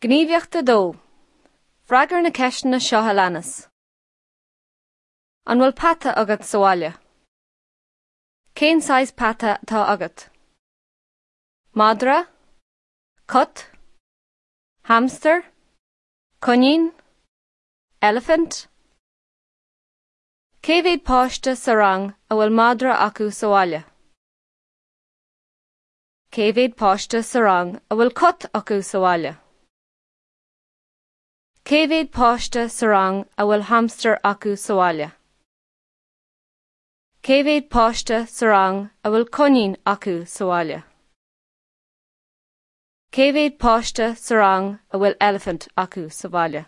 Gníomhaíocht 2. Freagair na ceisteanna seo a leanas. An bhfuil peata agat sa bhaile? Cén saghas peata atá agat? Madra? Cat? Hamster? Coinín? Eilifint? Cé mhéad páiste sa rang a bhfuil madra acu sa bhaile? Cé mhéad páiste sa rang a bhfuil cat acu sa bhaile? Cé mhéad páiste sa rang a bhfuil hamstar acu sa bhaile? Cé mhéad páiste sa rang a bhfuil coinín acu sa bhaile? Cé mhéad páiste sa rang a bhfuil eilifint acu sa bhaile?